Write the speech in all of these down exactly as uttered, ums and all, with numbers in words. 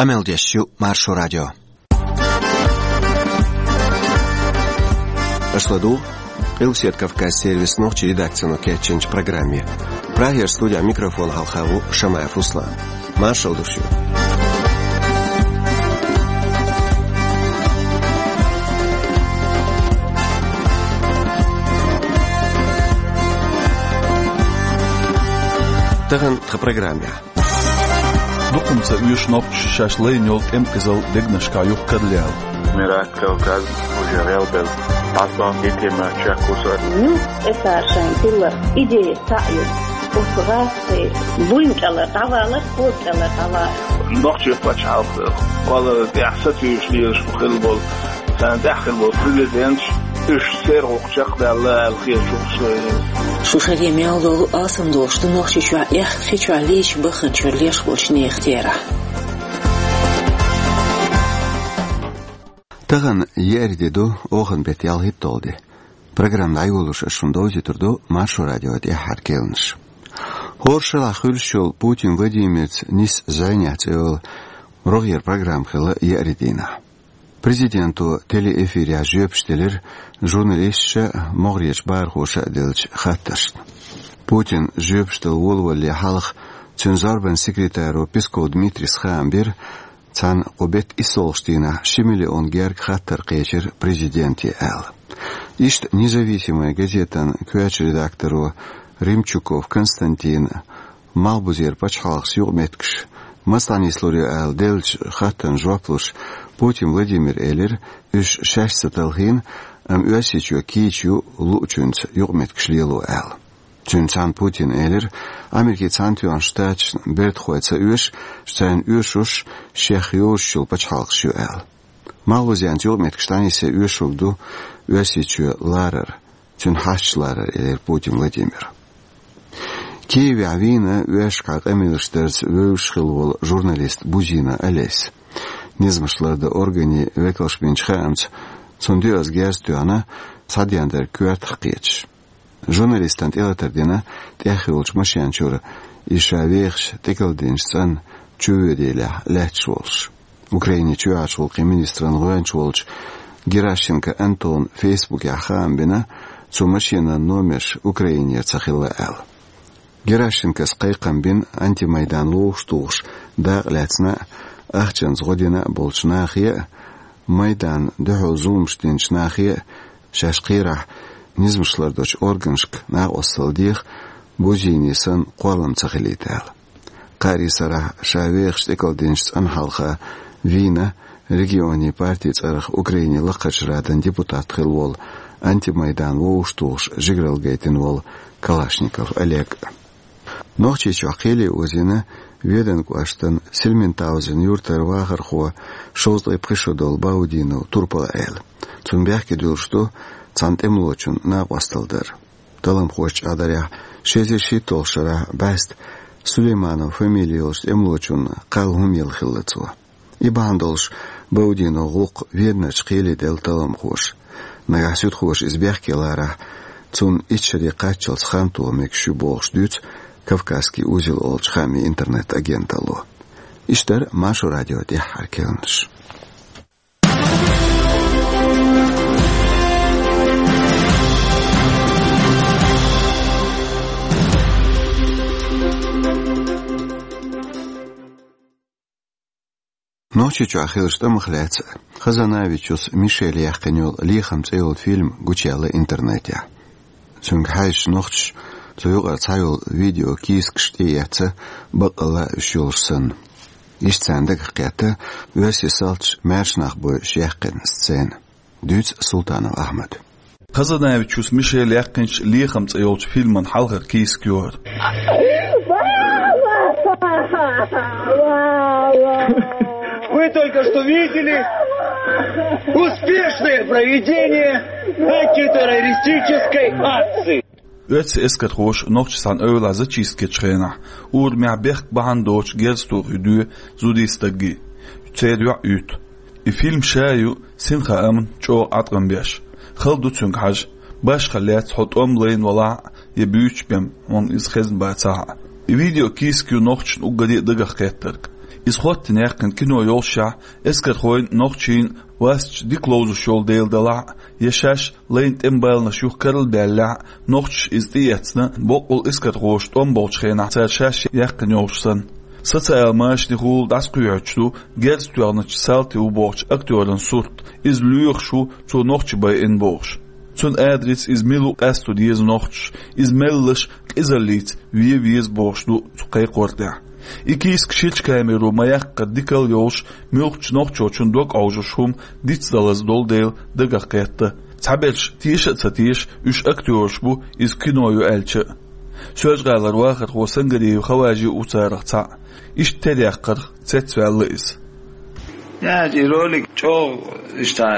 Къамел деш ю Маршо радио. Аша ладугӀу Къилбаседа Кавказан сервисан нохчийн редакцино кечйинчу программе. Прагера студин микрофона хьалха ву Шамаев Руслан. Маршалла ду шуьга. Тахана тхан программехь. Дукха ца оьшу нохчаша шаьш лайна йолу тӀемкъизалла дегнашкахь юха карлаяла. Мират Кавказ уже гӀелбелла. Хьастон хӀитима чекхвусар. Ну, эсар шайн хилла идея цхьаъ ю. Оцу гӀазкхийн буйна кӀелара дӀавалар, кхоза кӀелара дӀавалар. Нохчийн пачхьалкх, кхолларан тӀехь сатуьйсуш лелаш хилла болу, царна тӀехь хилла болу президенташ, уьш церан гӀуллакх чекхдаьлла аьлла хеташ ву со. Шу шаре мел долу алсам долуш ду Нохчийчохь эхь, ши чохь лийча баханчуьра леш болчу нехан терахь. Тахана еара де ду, оханан беттан ялхитталгӀа де. Программа дӀайолош ас шуна довзуьйтур ду Маршо радион тӀаьххьара керланаш. ХӀора шарахь хуьлуш йолу Путин Владимирца нисса зӀенехь цӀе йолу рогӀера программа хилла еарин дийнахь. Президенто телеэфирехь жоьпаш делира журналисташа а, могӀарерчу бахархоша а деллачу хаттаршна. Путина жоьпаш дала волавалале хьалха цуьнан зорбанан секретаро Песков Дмитрийс хаам бира, цхьана кху беттан иссолгӀачу дийнахь ши миллион герга хаттар кхечира президенте аьлла. Иштта «Независимая» газетан коьртачу редакторо Римчуков Константина малхбузера пачхьалкхашца юкъаметтигаш маса дӀанислур ю аьлла деллачу хаттарна жоп луш, Путин Владимира элира, уьш шаьш ца талхийна, амма Оьрсийчоь кийча ю луучуьнца юкъаметтигаш лело аьлла. Цуьнца цхьаьна Путина элира, Америкин Цхьаьнатоьхначу Штаташна бертахой ца оьшу, царна оьшурш шех йозуш йолу пачхьалкхаш ю аьлла. Малхбузенца юкъаметтигаш дӀанисъян оьшург ду Оьрсийчоь ларар, цуьнан хьашташ ларар, элира Путин Владимира. Киевехь вийна оьшкахь къамелаш дарца вевзаш хилла волу журналист Бузина Олеся. Низамаш лардан органийн векалша бинчу хаамца, цунна доьазза герз тоьхна, схьадеана дерг коьртах кхеташ. Журналистана тӀелатар дина тӀехйолчу машен чуьра, и ша вехаш тӀекаладинчу цӀанна чувоьделехь лаьтташ волуш. Украинин чоьхьарчу гӀуллакхийн министран гӀоьнча волчу Геращенко Антона Фейсбукехь хаам бина, цу машенан номерш Украинера ца хилла аьлла. Геращенкос кхайкхам бина антимайдан ловш тухуш дакъа лаьцна а, ахчанца гӀо дина а болчу нахе а, майданна дуьхьал зуламаш динчу нахе а, шаьш кхерахь низамаш лардечу органашка накъосталла деха, Бузинин санна кхоллам ца хилийта аьлла. Кхаарин сарахь ша вехаш тӀекаладинчу цӀанна хьалха вийна регионийн партин цӀарах Украинин Лакхарчу Радан депутат хилла волу, антимайдан вовш тухуш жигаралла гайтина волу Калашников Олег. Нохчийчохь кхеле озийна Веданан кӀоштан Сельментаузен юьртара вахархо, шовзткъе пхи шо долу Баудинов Турпал-Ӏела. Цунна бехке дуьллуш ду цхьана тӀемалочунна накъосталла дар. Талламхоша чӀагӀдарехь, ши эзар шийтталгӀачу шарахь бӀаьста Сулейманов фамили йолчу тӀемалочунна кхалла хӀума елла хилла цо. И бахьана долуш Баудиновн гӀуллакх Веданарчу кхеле делла талламхоша. Нагахь суьдхоша иза бехке ларахь, цунна итт шаре кхаччалц хан тоха мегаш ю бохуш дуьйцу «Кавказский узел» олучу хаамийн интернет-агенталло. Иштта дара Маршо радион тӀаьххьара керланаш. Нохчийчохь хиллачу тӀамах лаьцна Хазанавичус Мишеля яьккхина йолу «Лехам» цӀе йолу фильм гучуяьлла интернетехь. Цуьнга хьаьжча, нохчаша цу юкъара цхьа йолу видеокийсакаш тӀеэцна, баккъалла а уьш йолуш санна. Иштта царна дагах кхетта оьрсийн салташа маьрша нах бойъуш яьккхина сцена. Дуьйцу Султанов Ахьмада. Хазанавичус Мишеля яьккхинчу «Лехам» цӀе йолчу фильман хьалхара кийсак ю хӀара. Вы только что видели успешное проведение антитеррористической акции. Оьрсийн эскархоша нохчашца эвлахь зачистка ечу хенахь, урамехь бехк бахьана доцуш герз тухуш дуьйцу зудчун стаг. Церан йоӀ юьту. И фильм ша ю синхаамна чӀогӀа Ӏаткъам беш. Хала ду цуьнга хьажа. Башха лаьцна хьо тӀом лайна валахь а, я буьйцуш бен хьуна иза хезна бацахь а. И видеокийсак ю нохчашна уггаре а дагах кхеттарг. Иза хӀоттийна яьккхина кино йолушшехь, эскархойн, нохчийн васташ дика ловзуш йолу дела далахь а, я шаьш лайн тӀеман баланаш юха карладаьллехь а, нохчаша иза тӀеэцна, боккъал эскархоша тӀом болчу хенахь цара шаьш яьккхина йолуш санна. Социал машанехула дӀасакхоьхьуьйтуш ду герз тоьхначу салти ву бохучу актёран сурт, иза лоьхуш ву цо нохчий байина бохуш. Цуьнан адрес, иза мила ву къасто деза нохчаша, иза меллаша къизаллица вен веза бохуш ду цу кхайкхор тӀехь. И кийсак ширачу камеро ма-яккхара дикалла йолуш, муьлххачу нохчочун дог Ӏовжуш хӀума дицдалаза долу дела дагах кхетта. Цхьаберш теша а ца теша, уьш актёраш бу, иза кино ю аьлча а. Соьлжа-ГӀалара вахархо Сангариев Хаважи а ву царах цхьаъ. Иштта тера яккхарх цецваьлла иза. Яц, и ролик чӀогӀа иштта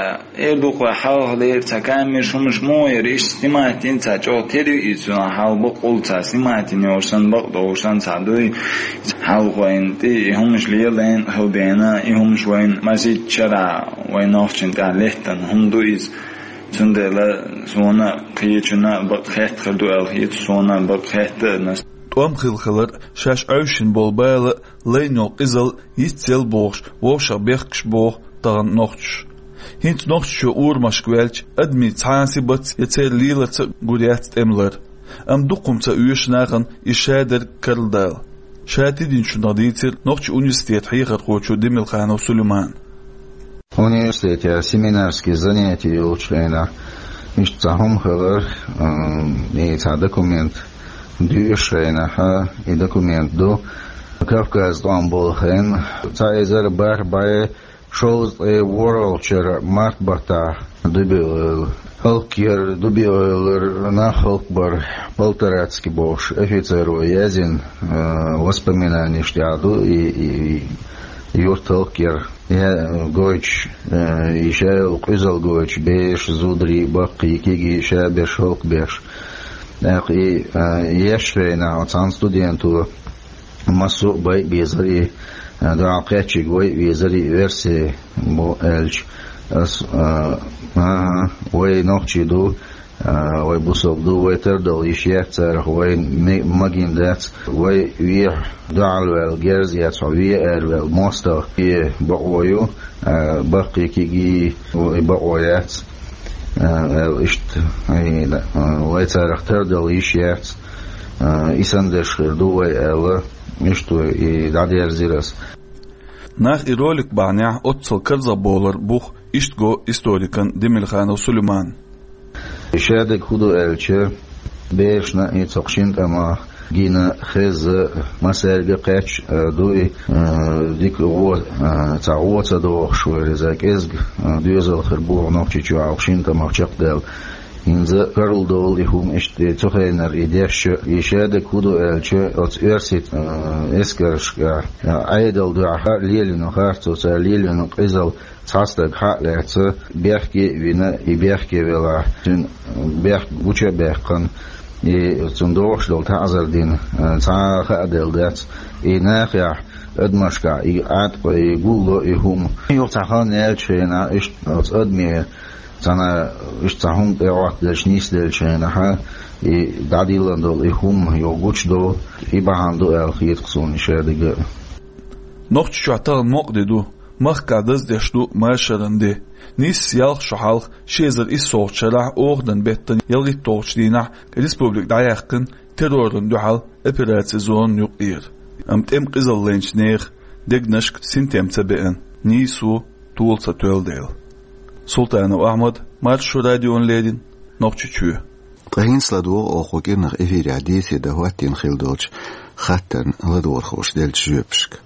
эр дукха хьалха дера цхьа камераш хӀумаш мо яра, иштта снимать йина цхьа чӀогӀа тера ю иза, цунах хьал бакъ хӀума цхьа снимать йина йолуш санна, бакъ долуш санна цхьа дуй. Хьалха вайна тӀе и хӀумаш леладайна хила бена, и хӀумаш вайна масийтта шарахь вайн нохчийн тӀехь лаьттина хӀума ду иза. Цундела суна кхечунна бакъ хетта хир ду аьлла хета, суна бакъ хетта а. ТӀом хилла хилар, шаьш Ӏовшина болу бала а, лайна йолу къизалла йицъелла бохуш, вовшах бехкаш боху тахана нохчаша. ХӀинца нохчашо урамашка ваьлча, адамийн цхьа а сибатца я церан леларца а гур яц тӀемалар. Амма дукха хӀума ца оьшу нахана иза шадерг карладала. Ша тидинчунах дийцира нохчийн университетан хьехархочо Демилханов Сулеймана. Университетехь семинарские занятия йолчу хенахь, иштта цхьа хӀума хилар, м, и цхьа документ доьшучу хенахь, и документ ду Кавказ тӀом болу хенахь, цхьа эзар бархӀ бӀе шовзткъе ворхӀалгӀачу шарахь март баттахь Дубиевлар, хӀаллакьяр, Дубиевлар нах хӀаллакбар, Полторацкий бохуш офицеро яздина, э, воспоминанеш тӀехь ду и, и, и юрт хӀаллакьяр. Я, гойтуш, э, и ша йолу къуьзалла гойтуш, бераш, зударий, баккхий, кегий, ша берш хӀаллакбеш. ТӀаккха и, э, еш хенахь оцу цхьана студенто массо а байа безар и, э, дуьхьал кхеччиг вайа везар и версия бу аьлча. Ас, э, ага, вай нохчий ду, А, вай бусалба ду, вай тардала йиш яц царах, вай ме-, магийна дац, вай вехьа дуьхьал ваьлла герз яц, хьо веа ара ваьлла мостагӀа, и бакъо ю, а, баккхий кегий, и бакъо яц, а, аьлла иштта, и, а, вай царах тардала йиш яц, а, и санна дерш хир ду вай аьлла, иштта вай и дӀадерзира ас. Нах и ролик бахьанехь оццул карзахбовлар бух иштта го историкан Демилханов Сулеймана. Шадерг хӀун ду аьлча, берашна и цхьа шина тӀамах гина, хезна, массаьрга кхаьчна, а, ду и, а, дика гӀо, а, цхьа гӀо ца дохуш вара иза кӀезга, а, доьзал хир бу нохчийчохь шина тӀамах чекхдаьлла. ХӀинца карладовла и хӀума иштта, цу хенара и дешча, и шадерг хӀун ду аьлча, оцу оьрсийн, а, эскаршка, а, Ӏедал дуьхьа лелийна харцо, цара лелийна къизалла цхьа стаг хьа а лаьцна, бехке а вина, и бехке велахь, цуьнан бехк гуча а баьккхина, и цунна догӀуш долу таӀзар дина, а, цхьа а хаа делла дац, и нахехь, адамашкахь и Ӏаткъо, и гулло и хӀума. Юха цхьа хан яьлча хенахь, иштта оцу адаме цхьана иштта цхьа хӀума тӀе гӀоттаделча, нисделча хенахь, и дӀадиллина долу и хӀума юха гучудо, и бахьана ду аьлла хета-кх суна и шадерг а. Нохчийчохь тахана мукъа де ду, махкахь даздеш ду машаран де. Нийсса ялх шо хьалха, ши эзар иссолгӀачу шарахь оханан беттан ялхитталгӀачу дийнахь республика дӀаяьккхина террорна дуьхьал операцин зонан юкъара. Амма тӀеман къизаллинчу нехан дегнашка синтем ца беана, нийсо тола ца тоьлла дела. Султанов Ахьмад, Маршо радиона леррина, Нохчийчоь. Ткъа хӀинца ладогӀа оха кху кӀирнах эфирехь дийцаре дан хӀоттийна хилла долчу хаттарна ладогӀархоша деллачу жоьпашка.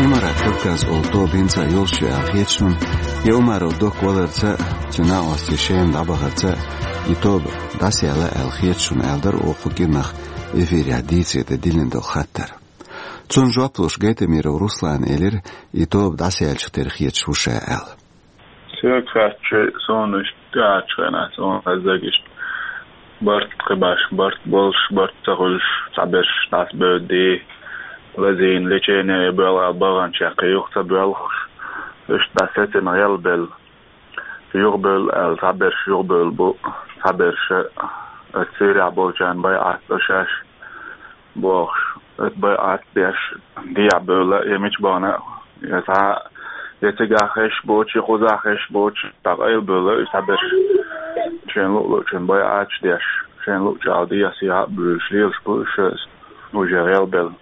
Имарат Кавказ олу тоба хӀинца а йолуш ю аьлла хета шуна, я Умаров Док валарца а, цуьнан накъостий Шема дӀабахарца а и тоба дӀасаяьлла аьлла хета шуна аьлла дара оха кху кӀирнах эфирехь дийцаре дан диллина долу хаттар. Цунна жоп луш Гайтамиров Руслана элира, и тоба дӀасаяьллачух тера хеташ ву ша аьлла. Соьга хаьттича, суна иштта тӀаьхьарчу хенахь, суна хезарг иштта барт кхин баш, барт болуш, барт ца хуьлуш, цхьаберш дӀасабевдди, лазийна лечение боьлху аьлла баханчех кхин юха ца боьлхуш, иштта дӀасецина гӀелбелла. Юхабевлла аьлла, цхьаберш юхабевлла бу, цхьаберш а, аса Сирехь болчарна байӀат до шаьш бохуш. Оцу байӀат деш, дехьа бевлла, я мича бахана, я цхьа, я цигахь хезаш боцуш, я кхузахь хезаш боцуш, цхьа къайлабевлла, и цхьаберш шайна луъ-луъчун байӀаташ деш, шайна луъчу Ӏалашо дехьа-сехьа а буьйлуш лелаш бу уьш, уже гӀелбелла.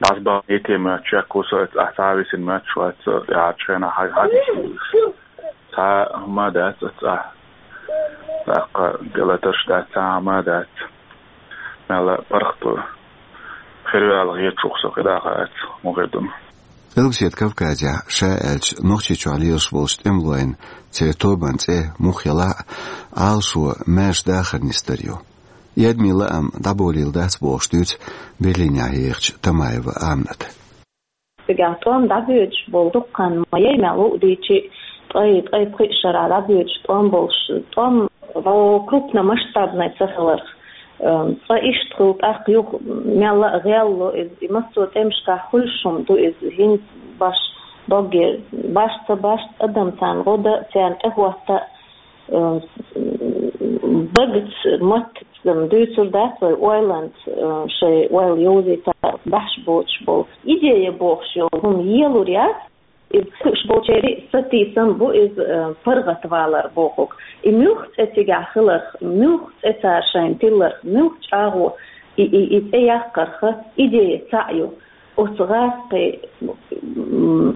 ДӀасабахийта моьттуш шек ву со, оцу цӀахь цхьа а висина моьттуш вац со, тӀаьхьарчу хенахь хьан-, хьан-, Цхьа а хӀума а дац оцу цӀахь. ТӀаккха гӀалаташ дац, цхьа а хӀума а дац. Мелла паргӀато хир ю аьлла хеташ ву-кх со, кхидӀа а хаьттича, муха хир ду-м. Къилбаседа Кавказехь, ша аьлча, Нохчийчохь лелаш болчу тӀемалойн, церан тобанан цӀе муха елахь а, Ӏалашо маьрша дахар нисдар ю. И адамийн лаам дӀаболийла дац бохуш дуьйцу Берлинехь ехачу Тамаева Амината. Цигахь тӀом дӀабоьдуш болу дуккха хан ма яй, мел луъу дийчи, ткъе, ткъе пхи шарахь дӀабоьдуш тӀом болуш, тӀом, о, крупномасштабный ца хиларх, э, цкъа иштта хуьлу, тӀаккха юха мелла а гӀелло иза, и массо а тӀемашкахь хуьлуш хӀума ду иза, хӀинца баш догге, баш ца баш, адам царна гӀо дан, царна тӀехӀотта, э, бага ца, матта ца дуьйцур дац вай ойланца, э, шайн ойла йовзийта баьхьаш боцуш болу. Идея бохуш йолу хӀума елур яц, иза кхуьуш болчеран сатийсам бу иза, э, паргӀатвалар бохург. И муьлх цӀе цигахь хиларх, муьлх цӀе цара шайна тилларх, муьлх чӀагӀо и, и, и цӀе яккхарх идея цхьаъ ю. Оцу гӀазкхийн, м,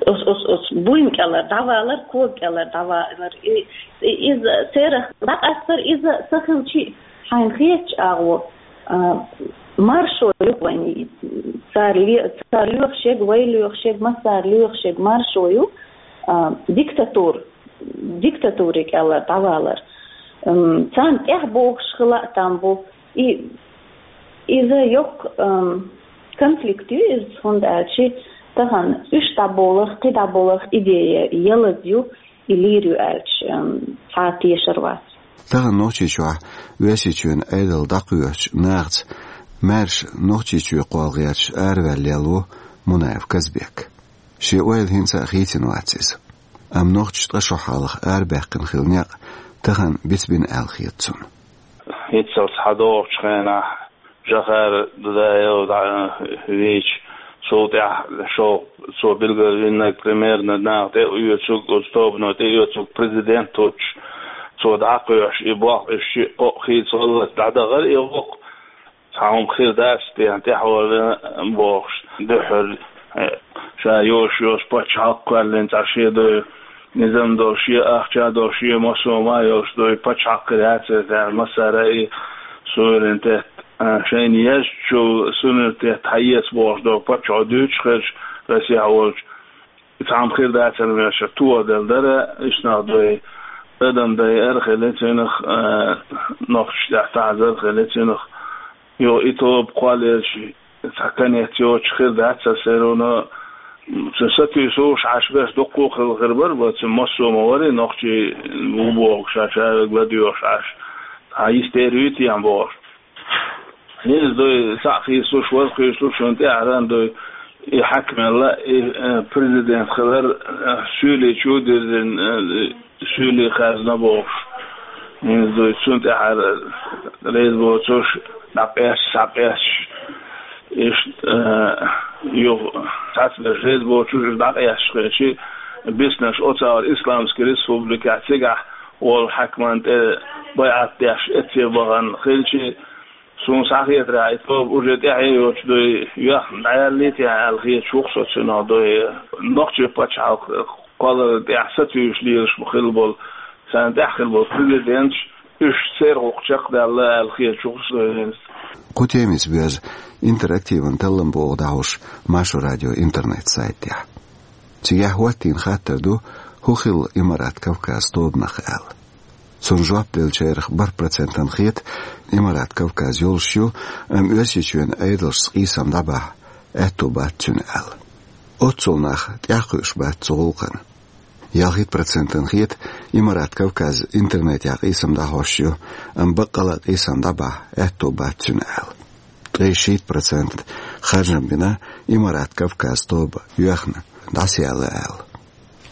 Ус, ус, ус буйна кӀелара дӀавалар, кога кӀелара дӀавалар. И, и, иза церах дӀакъастар, иза са хилчи, хьайна хетачу агӀо, а, маршо ю вайн. Цара ле-, цара лоьхуш ерг, вай лоьхуш ерг, массара лоьхуш ерг маршо ю, а, диктатура, диктатури кӀелара дӀавалар. М, царна тӀаьхьа бохуш хила а там бу. И, иза йоккха, ам, конфликт ю иза, хӀунда аьлча тахана уьш дӀаболах, кхин дӀаболах идея ялаза ю, и лийр ю аьлча, ам, цхьа а тешар вац. Тахана Нохчийчохь Оьрсийчоьнан Ӏедал дӀакхоьхьучу нахаца маьрша Нохчийчоь кхолла гӀерташ араваьлла лелла ву Мунаев Казбек. Шен ойла хӀинца а хийцина вац иза. Амма нохчаша ткъа шо хьалха арабаьккхина хилла некъ тахана бицбина аьлла хета цунна. ХӀинццалц схьадогӀучу хенахь Жохара Дудаев дӀа вийча, цул тӀаьхьа шо-, цо билгалвинарг, примерно, наха тӀеоьцург, оцу тобано тӀеоьцург президент воцуш, цо дӀакхоьхьуш и болх, уьш шиъ-кхоъ хийца гӀаллакх дӀадахара и гӀуллакх. Цхьа хӀума хир дац техьа тӀаьхьавала бохуш, дуьххьара, э, ша йолуш йолуш пачхьалкх кхоьллина цхьа шен дой, низам долуш, шен ахча долуш, шен массо а ма йолуш дой, пачхьалкх хир яц иза, массара а и суверенитет, а, шайна езачул суверенитет хьаэца бохуш долу паччахьо дуьйцуш хилча, Россехь волчу, цхьа хӀума хир дацара вешан, тоха делла дара, иштта нах дой, адам дайа ара хили цуьнах, а, нохчаш тӀехь тахьазар хили цуьнах. Йо, и тоба кхоллаелча, цхьа конец йоцуш хир дац аса, всё равно, м, цу сатуьйсуш Ӏаш берш дуккха а хилла хир бара, бац, массо а ма варий, нохчий ву бохуш, ша ша ладоьгӀуш Ӏаш, цхьа йистера юй техьа бохуш. ХӀинца дой, схьа хийцалуш, вара хийцалуш, шуна тӀаьхьаран дой, и хьаькамелла, и, э, президент хилар, э, суьйлий чу а дирзина, э, суьйлий хазна бохуш. ХӀинца дой, цунна тӀаьхьара реза боцуш, дӀакъаьсташ, схьакъаьсташ. Иштта, э, юха цхьацца реза боцуш, дӀакъаьсташ хилчи, биснарш оцу агӀор Исламский республикехь цигахь волу хьаькаман тӀе байӀат деш эцце бахана хилчи, суна схьахетарехь, и тоба уже тӀаьхье йоцуш дой, йоьхна дӀаяьллий техьа аьлла хеташ ву-кх со цуьнах дой. Нохчийн пачхьалкх кхолларна тӀехь сатуьйсуш лелаш ма хилла болу, царна тӀехь хилла болу президенташ, уьш церан гӀуллакх чекхдаьлла аьлла хеташ ву-кх со хӀинца. Кху темица боьзна интерактиван талламбогӀа дӀахьош Маршо радион интернет-сайт тӀехь. Цигахь хӀоттийна хаттар ду, хӀун хилла Имарат Кавказ тобанах аьлла. Цунна жоп деллачарах бархӀ процентана хета, Имарат Кавказ йолуш ю, амма Оьрсийчоьнан Ӏедалшца къийсам дӀабахьа аьтто бац цуьнан аьлла. Оццул нах тӀаьхьакхуьуш бац цу гӀуллакхана. Ялхитта процентана хета, Имарат Кавказ интернетехь къийсам дӀахьош ю, амма баккъала а къийсам дӀабахьа аьтто бац цуьнан аьлла. Ткъе шийтта процент харжам бина Имарат Кавказ тоба йоьхна дӀасаяьлла аьлла.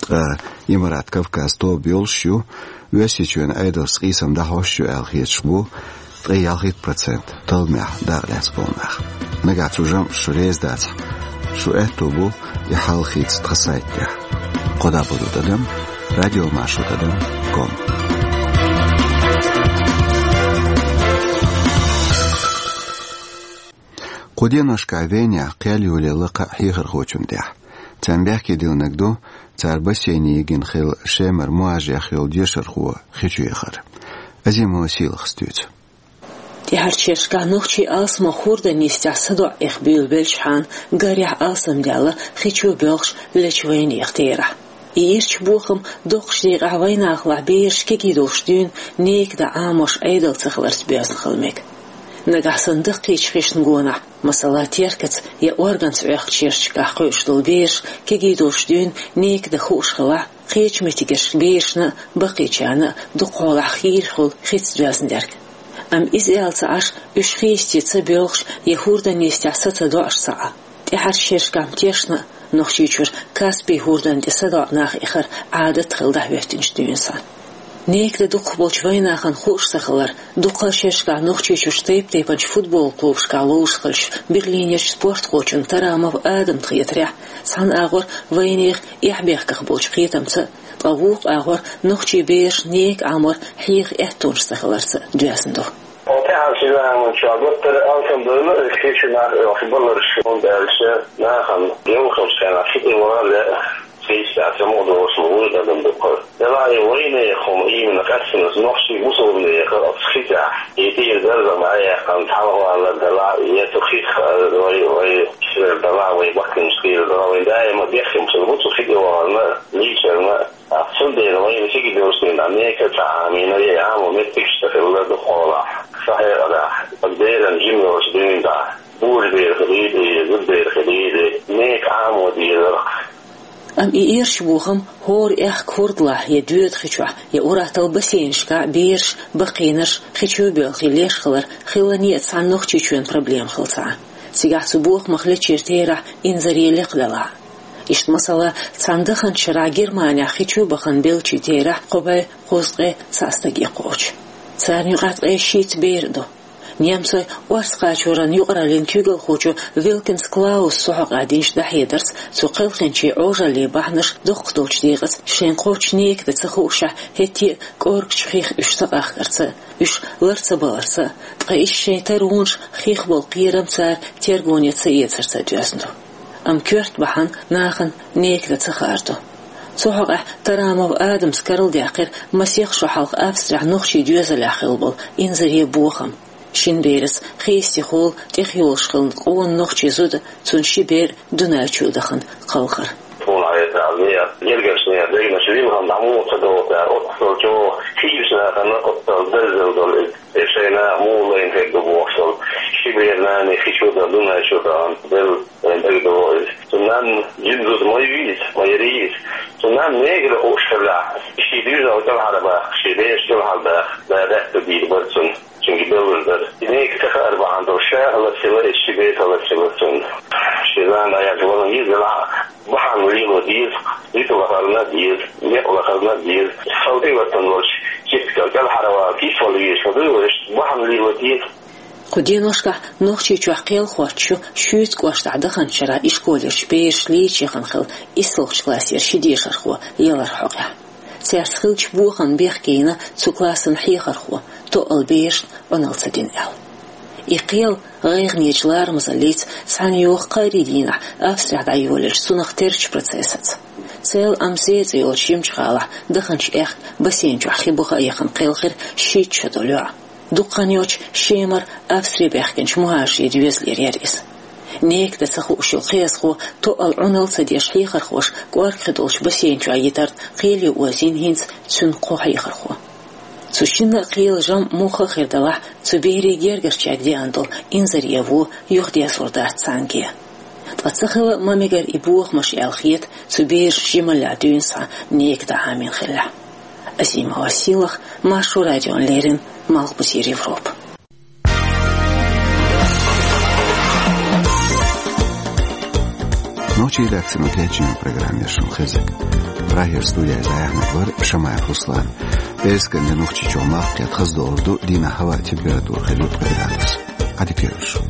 Ткъа Имарат Кавказ тоба йолуш ю, Оьрсийчоьнан Ӏедалшца къийсам дӀахьош ю аьлла хеташ бу ткъе ялхитта процент талламехь дакъа лаьцна болу нах. Нагахь цу жамӀашца шу реза дацахь, шун аьтто бу и хьал хийца тхан сайта тӀехь. Кхо дӀа болу тӀадам радиомаршо тӀадам ком. Кху деношкахь Венехь кхел йолаелла кхаа хьехархочун тӀехь. Царна бехке диллинарг ду, цара бассейне йигина хилла Шемара мугӀажех йолу дешархо хи чу яхар. Азимова Сийлахьас дуьйцу. ТӀаьхьарчу шерашкахь нохчий алсамох хӀордан йистехь садоӀа эха буьйлабелчхьана, гарехь алсамдаьлла хи чу боьлхуш лечу вайнехан терахь. И ирча бохам доккхачу декъехь вайнахалахь бераш кегий долуш дуьйна нека дан Ӏамош Ӏедал ца хиларца боьзна хила мега. Нагахь санна даккхийчу хишна гонахь, масала, теркаца я органца Ӏохкучу шерашкахь кхуьуш долу бераш кегий долуш дуьйна нека дан хууш хилахь, кхечу меттигашка берашна а, баккхийчарна а дукха хьолахь хийра хуьлу хица доьзна дерг. Амма иза аьлла ца Ӏаш, уьш хи йисте ца боьлхуш я хӀордан йистехь са ца доӀуш ца Ӏа. ТӀаьхьарчу шерашкахь-м тешна а, Нохчийчуьра Каспий хӀордан тӀе садоӀа нах эхар Ӏадат хилла дӀахӀоьттинчу дуьйна санна. Нека дан дукхахболчу вайнахана хууш ца хилар, дуккха а шерашкахь Нохчийчуьрчу тайп-тайпанчу футбол клубашкахь ловзуш хиллачу Берлинерчу спортхочун Тарамов Адамна хетарехь, цхьана агӀор вайнехан эхь-бехках болчу кхетамца а, ткъа вукху агӀор нохчий бераш нека Ӏамор хьеха аьттонаш ца хиларца а доьзна ду. Оцу тӀаьхьарчу заманчохь гуттар а алсамдойла хи чу нах оьхуш баларш, хӀунда аьлча нахана йовхалчу хенахь хи тӀе ваха лаьа, хи йистехь ца ма-догӀуш, вуьйр адам ду кхара. Делахь и вайнехан хӀума именно къаьстина нохчий бусалбанехан оцу хи тӀехь, и тӀера даржам дӀаяьккхина, цхьаьна валар делахь, я цу хих вай, вай сирер делахь, вай баккхийчу сирер делахь, вайн даима бехкам хилла бу цу хи тӀе вахарна, лийчарна. Цундела вайна хи кегий долуш дуьйна нека ца Ӏамийна, я Ӏамо меттигаш ца хилла дукха хьолахь, сан хьекъалехь, беран жима йолчу дуьйна тӀехь, божабер хилийла, зудабер хилийла, нека Ӏамо дезара. Амма и ирча бохам хӀора аьхка хӀордалахь я доьда хи чохь, я ур-атталла бассейнашкахь бераш, баккхийнарш хи чу боьлхий леш хилар хилла некъан цхьана Нохчийчоьнан проблема хилла ца Ӏа. Цигахь цу бохамах лечу терахь инзаре лекха делахь а. Иштта, масала, цхьана даханчу шарахь Германехь хи чу бахана беллачийн терахь кхо бӀе кхузткъе цхьаъ стаге кхочу. Царна юкъахь ткъе шийтта бер а ду. Немцойн орца кхачоран юкъараллин куьйгалхочо Вилкинс Клауса цу хьокъехь динчу дӀахьедарца, цу кхелхинчийн Ӏожаллин бахьанаш доккха долчу декъаца шайн кхоччуш нека дан ца хуушехь, хӀетте а кӀоргачу хих уьш ца къахкарца а, уьш лар ца баларца а, ткъа иштта шайн таронаш хих болу кхерам цара тергоне ца эцарца а доьзна ду. Амма коьрта бахьана нахана нека дан ца хаар ду. Цу хьокъехь Тарамов Адамас карладаьккхира масех шо хьалха Австрехь нохчийн доьзалехь хилла болу инзаре бохам. Шина бераца хи йистехула тӀехйолуш хилла къона нохчийн зуда, цуьнан ши бер а Дунайчу дахана кхалхар. Тхуна хьаьрча, гергарчу нехан дегнаш лилхина дӀа муха ца догӀу цара, оццул чӀогӀа хийрачу нахана оццул дерзалла долу иза. Э, шайна муха лайна хир ду бохуш долу ши бер нана хи чу дан, Дунайчу дан белла вайна дагадогӀу иза. Цу нанна жима зуда ма ву иза, ма яра иза. Цу нанна негара хууш хилла, шен доьзал кӀелхьарбаха, шен бераш кӀелхьарбаха, да даьтта дийр бара цунна. Цуьнга беллар дара. Нека ца хаар бахьана долуш, ша а лацийла, и ши бер а лацийла цунна. Шен зама дӀаяьлча валан йиза лаьа, бахьана лело деза, зуда лахарна а деза, некъ лахарна а деза. Салтий ватан волчу кипкал кӀелхьарвала кийсвала везаш ма дуй вай, бахьана лело деза. Кху деношкахь Нохчийчохь кхел хоттуш ю шуьйца кӀоштахь даханчу шарахь ишколерчу бераш лийча яхана хилла исслгӀачу классера ши дешархо яларх хьокъехь. Цаьрца хиллачу бохамна бехке йина цу классан хьехархо, тоъал берашна Ӏуналла ца дина аьлла. И кхел гӀайгӀанечу ларамазаллица цхьаьна йоьду кхаарин дийнахь Австрехь дӀайолаелчу цунах терчу процессаца. Цел Амзе цӀе йолчу Шемчухалахь даханчу аьхка бассейн чохь хи баха а яхана кхелхира шийтта шо долу йоӀ. Дукха хан йоццуш Шемара Австре баьхкинчу мухӀажарийн доьзалера яра иза. Нека дан ца хууш йолу кхиазхо тоъал Ӏуналла ца деш хьехархоша кӀоргхи долчу бассейн чохь йитарна кхеле озийна хӀинца цуьнан кхо хьехархо. Цу шинна а кхелан жамӀ муха а хир далахь, цу берийн гергарчаьрга деана долу инзаре вон юхадерзор дац цхьаьнгге. Ткъа ца хила а ма мегара и бохамаш аьлла хета цу берашна жималлехь дуьйна схьа нека дан Ӏамийна хиллехь. Азимова Сийлахь, Маршо радиона леррина, Малхбузера Европа. Нохчийн редакцино кечйина программа яра шуна хезнарг. Прагера студехь дӀаяьхьнарг вара Шамаев Руслан. ТӀехьагӀа нохчийчоа мах кхетхаз доаргда, дийнахьа хӀаваъ температура хила ткъаь градус. Ӏадика йойла шун.